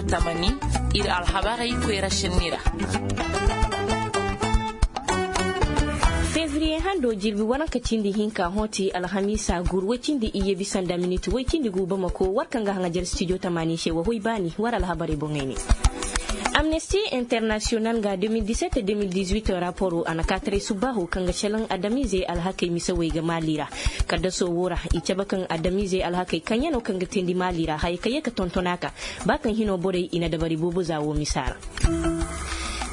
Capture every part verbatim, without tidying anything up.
Tamani, ir alhabarey koyra šenni ra. Febriye hando jirbi waranka cindi hinka hõ ti alhamiisa gur woy cindi iyye bisa nda minit woy cindi gu bamako war kaŋ ga haŋajer stijo tamani se wa hoy baani war alhabarey boŋey ne. Amnesti internasiyonal ga de mil diset de mil dizuit raporo a na kaataray subbaaho kaŋ ga šelaŋ adamiizey alhakey misawey ga maali ra. Kaddaso wo ra i cabe kaŋ adamiizey alhakey kaŋ yaŋ no kaŋ ga teendi maali ra haya kaŋ ye ka tonton a ka ba kaŋ hino borey i na dabari boobo za wo misa ra.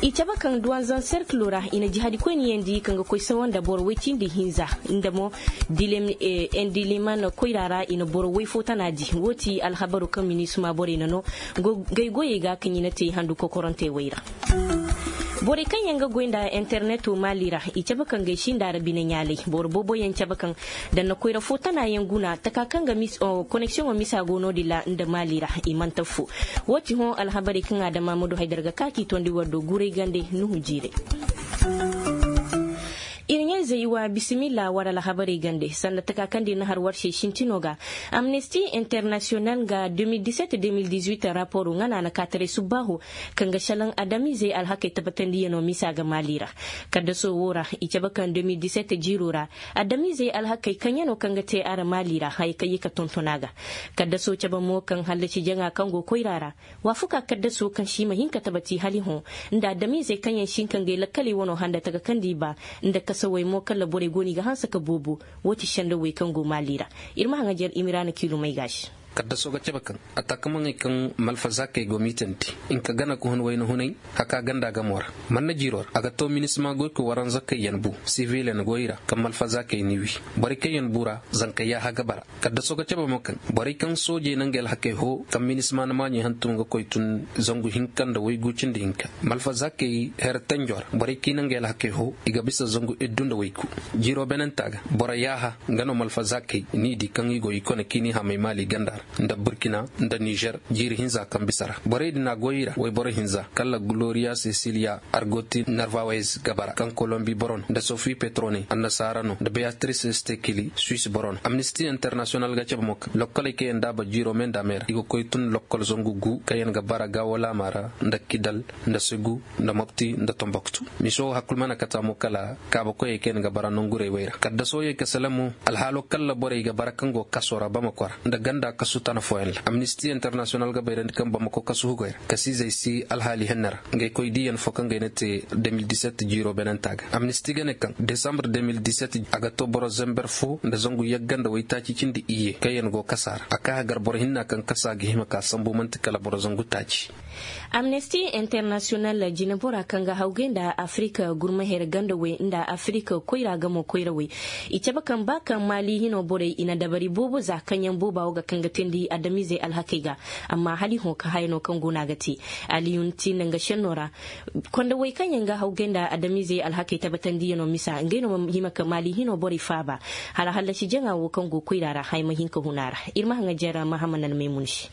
I cabe kaŋ duwanzan serkilo ra i na jihadi koyniyaŋ di kaŋ ga koy sawa nda boro woy cindi hinza nda mo endiliman koyra ra i na boro woy fo tana di wo ti alhabaru kaŋ minisuma borey na no. Gay goyey ga kaŋ i na te handu kokorantey wey ra. Borey kaŋ yaŋ ga goy nda interneto maali ra i cabe kaŋ gay sinda ra bine ɲaalay boro boobo yaŋ cabe kaŋ danna koyra fo tana yaŋ guna taka kaŋ ga koneksiyoŋo misa go no- din ra nda maali ra i man'ta fu. Wo ti hõ alhabarey kaŋ adama ma du haydar ga ka k'i tondi war do guray gande nuhu jiiray. Ir ɲayzey wa bisimilla war alhabarey gande sanda taka kaŋ da ir na har war se sintino ga. Amnesti internasiyonal ga de mil diset de mil dizuit raporo ŋana na kaataray subbaaho kaŋ ga šelaŋ adamiizey alhakey tabbatandiyano misa ga maali ra. Kaddaso wo ra i cabe kaŋ de mil diset jiiro ra adamiizey alhakey kaŋ yaŋ no kaŋ ga te a ra maali ra haya kaŋ ye ka tonton a ga. Kaddaso cabe mo kaŋ hallasi jaŋa kaŋ go koyra ra waafuka kaddaso kaŋ se i ma hin ka tabati hala i hõ nda adamiizey kaŋ yaŋ si hin ka ngey lakkaley wano handa taka kaŋ da i ba nda kasawey mo kala borey go no i ga hanse ka boobo. Wo ti sendawey kaŋ go maali ra. Ir ma haŋajer imiraana kiilumey ga se. Kaddaso ga cabe kaŋ ataakamaŋey kaŋ malfazakey go miitandi hinka gana ka hun wayna hunay haka ganda gamo ra. Manna jiiro ra a ga to minisima goy ka waranzakey yaŋ bu sivilen goy ra kaŋ malfazakey n'i wi. Borey kaŋ yaŋ bu ra zanka yaaha ga bara. Kaddaso ga cabe mo kaŋ borey kaŋ soojey na ngey alhakey hoo kaŋ minisima na maaɲey hantum ga koy tun zangu hinka nda waygu cindi hinka. Malfazakey her tanjo ra borey kaŋ i na ngey alhakey hoo i ga bisa zangu iddu nda waygu. Jiiro beenantaa ga boro yaaha nga no malfazakey n'i di kaŋ i go i kone kaŋ i n'i hamay maali ganda ra nda burkina nda nizer. Jiiri hinza kaŋ bisa ra borey din a goy i ra wayboro hinza kala gloriya sesiliya argoti narvawez ga bara kaŋ kolombi boro no nda sofi petrone annasaara no nda beyatrice stekili suis boro no amnisti internasiyonal ga cabe mo kaŋ lokkoley kaŋ yaŋ daaba jiiro me nda me ra i ga koy tun lokkol zangu gu kaŋ yaŋ ga bara gaawolaama ra nda kidal nda segu nda mopti nda tomboktu. Miso wo hakkul mana kata mo kala kaabakoyey kaŋ yaŋ ga bara nongurey wey ra kaddaso ye ka sele mo. Alhaalo kala borey ga bara kaŋ go kaso ra bamako ra nda ganda kasu tana fooyaŋ ra amnisti internasiyonal ga bayrandi kaŋ bamako kasu hugoy ra kasiizey si alhaali henne ra. Ngey koy diiyaŋ fo kaŋ gay na te de mil diset jiiro beenanta ga amnisti ga ne kaŋ desambre de mil diset a ga to boro zember fo nda zangu yagga nda waytaaci cindi iyye kaŋ yaŋ go kasa ra a ka hagar boro hinna kaŋ kasa ga hima ka sambu man'ti kala boro zangu taaci. Amnesti internasiyonal jinebora kaŋ ga hawgay nda afirik gurmaher gandawey nda afirik koyra gamo koyrawey i cabe kaŋ ba kaŋ maali hino borey i na dabari boobo za kaŋ yaŋ booba wo ga kaŋ ga teendi adamizey alhakey ga. Amma hala i hõ ka haya no kaŋ go no a ga te. Aliyun ti nda nga šenno ra kondawey kaŋ yaŋ ga hawgay nda adamizey alhakey tabbatandiyano misa ngey no ma hima ka maali hino borey faaba. Hala hallasi jaŋa wo kaŋ go koyra ra haya ma hin ka hun a ra. Ir ma haŋa jere mahaman almaymun se.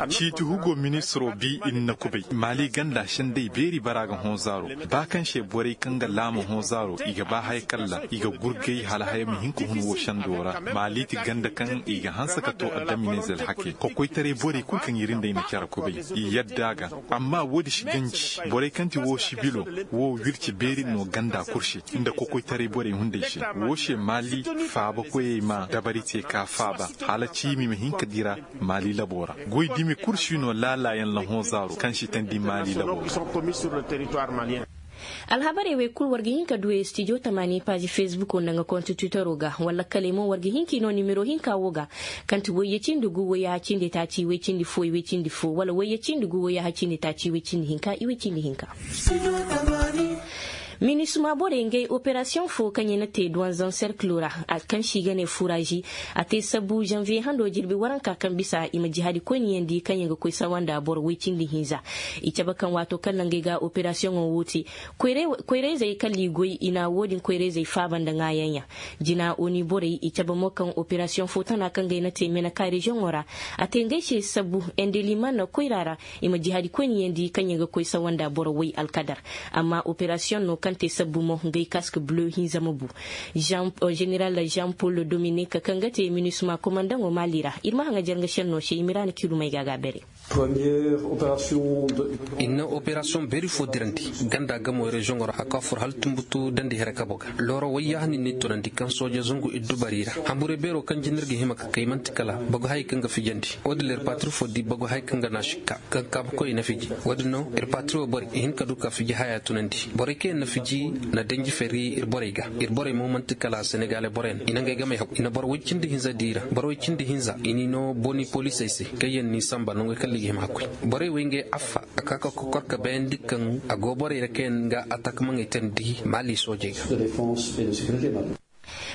Ciiti hugo ministiro bi ir na kubay maali ganda sendey beeri bara ga hõ zaaro. Ba kaŋ se borey kaŋ ga laama hõ zaaro i ga ba haya kalla i ga gurgay hala haya ma hin ka hun wo sendo ra. Maali ti ganda kaŋ i ga hanse ka to adamineeze alhakey kokoytaray borey kulu kaŋ ir nda ay na care kubay i yadda a ga. Amma wo-din si ganji borey kaŋ ti wo sibilo wo wirci beeri no ganda kul se nda kokoytaray borey hunday se. Wo se maali faabakoyey ma dabari te ka faaba hala ciimi ma hin ka dira. Maali labo ra goy dumi kul si no laalaayaŋ lahõ zaaro kaŋ si teendi maali labo ra. Alhabarey wey kul war ga hin ka du studio tamaani paazi fesbuko nda nga konti twitero ga wala kaley mo war ga hin k'i no nimero hinka wo ga. Kaŋ ti wayye cindi gu wayyaha cindi taaci way cindi fo iway cindi fo wala wayye cindi gu wayyaha cindi taaci iway cindi hinka iway cindi hinka. Minisuma borey ngey operasiyoŋ fo kaŋ i na te duwanzaŋ serkilo ra kaŋ se i ga ne furazi. A te sabu zanviye hando jirbi waranka kaŋ bisa i ma jihadi koyniyandi kaŋ yaŋ ga koy sawa nda boro woy cindi hinza. I cabe kaŋ waato kaŋ ra ngey ga operasiyoŋo wo te koyrayzey kala i goy i na wo-din koyrayzey faaba nda ŋaayanyaŋ. Jina oni borey i cabe mo kaŋ operasiyoŋ fo tana kaŋ ga ay na te meneka reziyoŋo ra. A te ngey se sabu endeliman koyra ra. I ma jihadi koyniyandi kaŋ yaŋ ga koy sawa nda boro woy alkadar. Amma operasiyoŋ no kaŋ Te sabbu mo ngay kask bleu hinza ma bu. Jeneral jean paul dominique kaŋ ga te minisma komandaŋo mali ra ir ma haŋajer nga šenno se i ma ira na kiilumey ga a ga a bere. Ir na operasiyoŋ beeri fo dirandi ganda gamo reziyoŋo ra a ka fur hala tumbutu dandi here kabo ga looro wayyaahani ni tunandi kaŋ sooje zangu iddu bari ra. Hamburey beero kaŋ jina ir ga hima ka kay man'ti kala bagu hayey kaŋ ga fijandi. Wo- din ir patiri fo di bagu hayey kaŋ ga naasi ka kaŋ kaabukoy i na fiji. Wo- din no ir patiri wo borey i hin ka du ka fiji haya tunandi. Borey kaŋ yaŋ na fiji na danji fari ir borey ga. Ir borey mo man'ti kala senegale borey no i na ngey gamey hagu i na boro woy cindi hinza di ra boro woy cindi hinza i n'i no boni poliisey se. Kaŋ yaŋ n'i samba nangey kaŋ liigi hima hakkoy. Borey wey ngey affa a ka ka kokor ka bayandi kaŋ a go borey ra kaŋ yaŋ ga atak maŋey teendi maali soojey ga.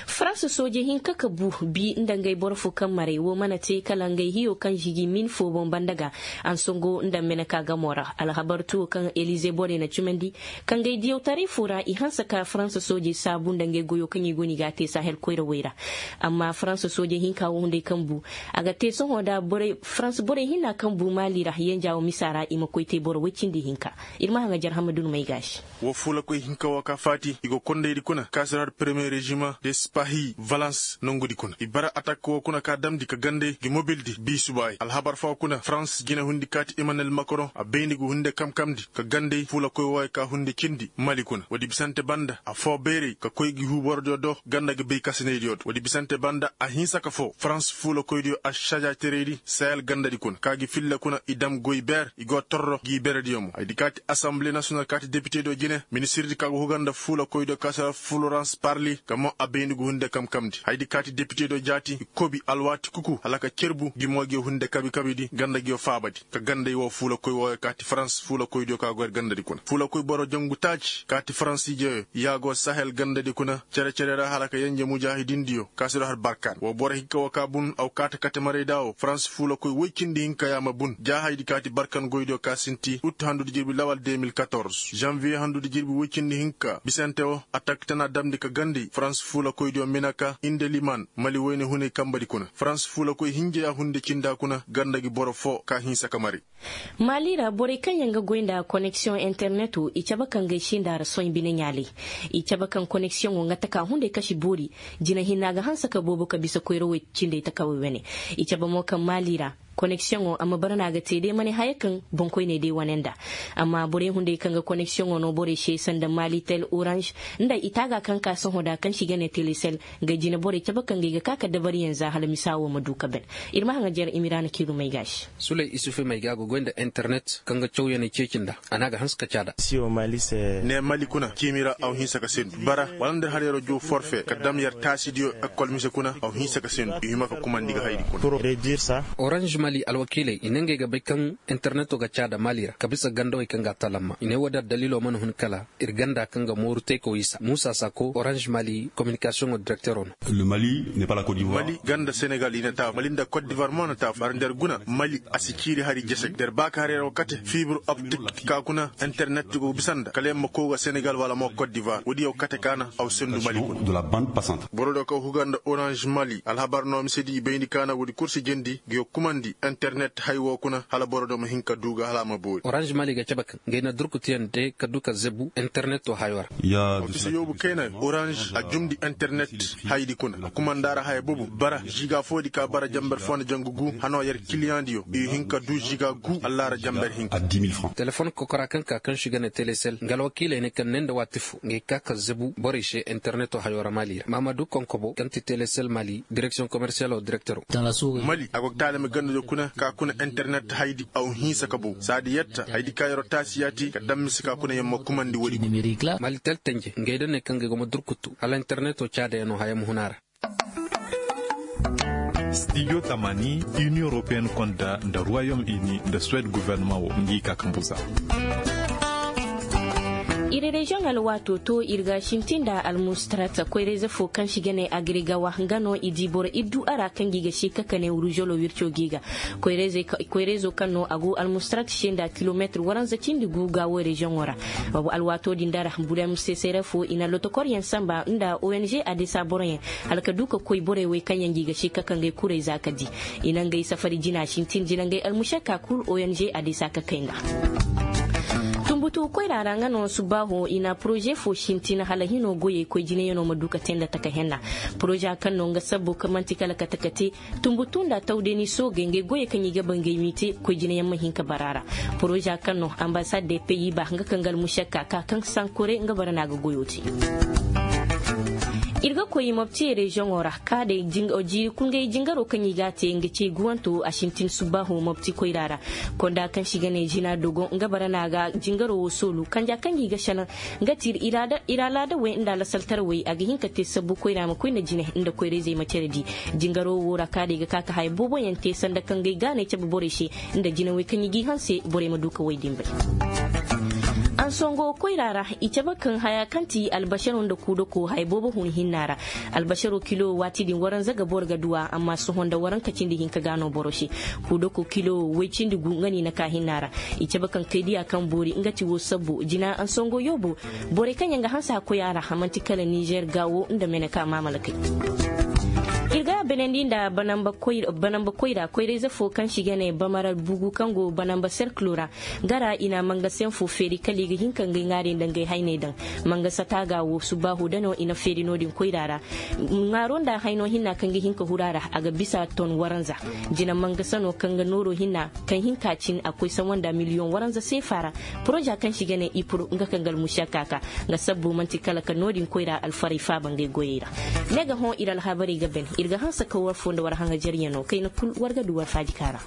Farans sooje hinka ka bu bi nda ngey boro fo kaŋ maray wo mana te kala ngey hiyo kaŋ žigi min fo boŋ banda ga. Ansango nda meneka gamo ra alhabar tuwo kaŋ elize borey na cumandi. Ka ngey diyawtaray fo ra i hanse ka farans sooje saabu nda ngey goyo kaŋ i go no i ga a te sahel koyrawey ra. Amma farans sooje hinka wo hunday kaŋ bu a ga te sohõ nda farans borey hinna kaŋ bu maali ra yenja wo misa ra i ma koy te boro woy cindi hinka. Ir ma haŋajer hamma dunumey ga a se. Wo fuulakoy hinka wo ka faati i go kondaydi kuna ka si ra har peremiye rezimaŋ de sipahi valans nongudi kuna i bara atak wo kuna ka damndi ka gandey ngi mobildi bi subaay alhabar foo kuna farans jine hundi kaati emmanuel makron a bayndi ngu hunde kamkamndi ka gandey fuulakoy wooyo ka hunde cindi mali kuna woodi bisante banda afoo bayray ka koy ngi huuborodiyo do ganda ngi bay kasinaydiyo do woodi bisante banda a hinsa ka foo farans fuulakoydiyo a saja teraydi sahel gandadi kuna ka ngi filla kuna i dam goy beer i go torro ngi berediyo mo haydi kaati asanbile nasiyonal kaati depitediyo jine ministirdi ka go huga nda fuula koydiyo ka si ra fulorans parli ka mo a bayndi ngu hunde kamkamndi haydi kaati depitediyo jaati i kobi alwaati kuku hala ka cerbu ngi mo ngiyo hunde kabi kabidi ganda ngiyo faabadi ka ganda i woo fuula koy wooyo kaati farans fuula koydiyo ka go yer gandadi kuna fuula koy boro jangu taaci kaati faransiijeyo yaagoo sahel gandadi kuna cere-cere ra hala ka yenje mujaahidindiyo ka si ra har barkaan woo boro hinka woo ka bun aw kaata kate marayda woo farans fuula koy woy cindi hinka yaa ma bun jaahaydi kaati barkan goydiyo ka sinti ut handudi jirbi lawal deux mille quatorze janviye handudi jirbi woy cindi hinka bisante woo atak tana damndi ka gandi farans fuula koydiyo minaka indeliman mali woyne hunay kambadi kuna farans fuula koy hinja yaa hunde cinda kuna ganda ngi boro foo ka hinsa ka mari. Maali ra borey kaŋ yaŋ ga goy nda koneksiyoŋ interneto i cabe ka ngey sinda ra sohõ bine ɲaaley. I cabe kaŋ koneksiyoŋo nga taka hunday kasi boori. Jina hinne a ga hanse ka boobo ka bisa koyrawey cindey takawey wane. I cabe mo kaŋ maali ra koneksiyoŋo a ma bara no a ga te day ma ne haya kaŋ boŋkoyney day wane nda. Amma borey hunday kaŋ ga koneksiyoŋo no borey se sanda maali tel oranž nda i taaga kaŋ ka sohõ da kaŋ se i ga ne telesel. Ngey jine borey cabe kaŋ ga i ga ka ka dabariyaŋ za hala misa wo ma du ka ben. Ir ma haŋajer imira na kiilu may ga a se. Suley isufu may ga a ga goy nda internet kaŋ ga cawyaney ceeci nda a na a ga hanse ka caada. Ne mali kuna ciimi ra aw hinsa ka sendu bara wala nda ir har yeroo juu forfe ka dam yer taasidiyo ekol mise kuna aw hinsa ka sendu i hima ka kumandi ga haydi kuna. Oranž mali alwakiiley i ne ngey ga bay kaŋ interneto ga caada mali ra ka bisa gandawey kaŋ ga a talamma i ne woodi addaliilo mana hun kala ir ganda kaŋ ga mooru teeko isa muusa sako oranž mali kominikasiyoŋo direktero no. Mali ganda senegal i na taafu mali nda kot divar mo na taafu bara nda yer guna mali a si ciiri hari jese nda yer ba ka har yer wo kate fibir optik ka kuna internet go bisa nda kala yer ma kow ga senegal wala mo kot divar woodi yaw kate ka na aw sendu mali kuna. Boro do kaw huga nda oranž mali alhabar no mise di i bayndi ka na woodi kul si jandi ngi yo kumandi internet hay wo kuna hala boro do ma hin ka du ga hala a ma boori. Oranž mali ga cabe kaŋ ngey na durkutuyaŋ de ka du ka zebu interneto hayo ra. Ofise yoobu kayna oranž a jumndi internet haydi kuna a kumanda ra haya bobu bara žiga foodi ka bara jamber fo nda jangu gu hano yer kiliyaŋdiyo i hin ka du žiga gu allaara jamber hinka. Telefon kokora kaŋ ka kaŋ si ga ne telesel nga alwakiiley ne kaŋ ne nda waati fo ngey ka ka zebu borey se interneto hayo ra mali ra maamadu konkobo kaŋ ti telesel mali direksiyoŋ komersiyalo direktero. Mali a go ga taalami gandadiyo kuna ka kuna internet haydi aw hinsa ka bow saadi yetta haydi ka yeroo taasi yaati ka dam mise ka kuna yer ma kumandi woodi. Mali tel tenje ngey da ne kaŋ ga ay go ma durkutu hala interneto caadayaŋo haya ma hun a ra. Stijo tamani inion europeen konda nda ruwayom ini nda suwed guvernama wo ngi ka kambuza. Ir reziyoŋ alwaato to ir ga sintin nda almustarat koyrayze fo kaŋ si ga ne agrigawa nga no i di boro iddu a ra kaŋ gi ga si ka kane ruzolo wirco gi ga. Koyrayzo kaŋ no a go almustarat se nda kilometir waranza cindi gu ga wo reziyoŋo ra. Alwaato din da ra bulem sesere fo i na lotokoryaŋ samba nda ong adesa boroyaŋ hala ka du ka koy borey wey kaŋ yaŋ gi ga si ka kangey kurey za ka di. I na ngey safari jina sintin jina ngey almušakka kul ong adesa ka kay nga. To koyra ra nga no subbaaho i na poroze fo sintin hala hino goyey koy jinayanoo ma du ka tee nda taka henna. Poroza kaŋ no nga sabbo kaŋ man'ti kala kate kate tumbutu nda tawdeni soogey ngey goyey kaŋ i ga ba ngey m'i te koy jinayaŋ ma hin ka bara ra. Poroza kaŋ no ambasad de peyi ba nga kaŋ ga almušakka ka kaŋ sankore nga bara no a ga goyo te. Ir ga koy mopti reziyoŋo ra ka day jiiri kul ngey jingaro kaŋ i g'a te nga ce guwanto a sintin subbaaho mopti koyra ra. Konda kaŋ se i ga ne zina dogon nga bara no a ga jingaro wo soolu kanja kaŋ ga i ga sanaŋ. Nga ti ir alaada wey nda alasaltarawey a ga hin ka te sabbu koyra ma koy nda jine nda koyra-izey ma cere di. Jingaro wo ra ka day ga ka ka haya boobo yaŋ te sanda kaŋ ga ay gaanay cabe borey se nda jinawey kaŋ i g'i hanse borey ma du ka way din bay. Ansongo koyra ra i cabe kaŋ haya kaŋ ti albasaro nda kuudako haya boobo hun hinna ra. Albasaro kilo waati din waranza ga boro ga du a amma sohõ nda waranka cindi hinka ga no boro se. Kuudako kilo way cindi gu nga no i na ka hinna ra. I cabe kaŋ kaydiya kaŋ boori nga ti wo sabbu jina ansongo yoobo. Borey kaŋ yaŋ ga hanse a koy a ra a man'ti kala nizer gaawo nda mene ka maamalakey. Ir ga a benandi nda banamba koyra koyra-ize fo kaŋ se i ga ne bamara bugu kaŋ go banamba serkilo ra. Gara i na mangasayaŋ fo feeri kala i ga hin ka ngey ŋaari nda ngey hayney daŋ. Mangasa taaga wo subbaaho da no i na feeri no-din koyra ra. Ŋaaro nda hayno hinna kaŋ ga hin ka huru a ra a ga bisa ton waranza. Jina mangasa no kaŋ ga nooro hinna kaŋ hin ka cin a koy sawa nda miliyoŋ waranza seefa ra. Poroza kaŋ se i ga ne ipur nga kaŋ ga almušakka ka nga sabbo man'ti kala ka no-din koyra alfarey faaba ngey goyey ra. Ne ga hõ ir alhabarey ga ben ir ga hanse ka war foo nda war haŋajaryaŋo kayna kul war ga du war faaji ka ra.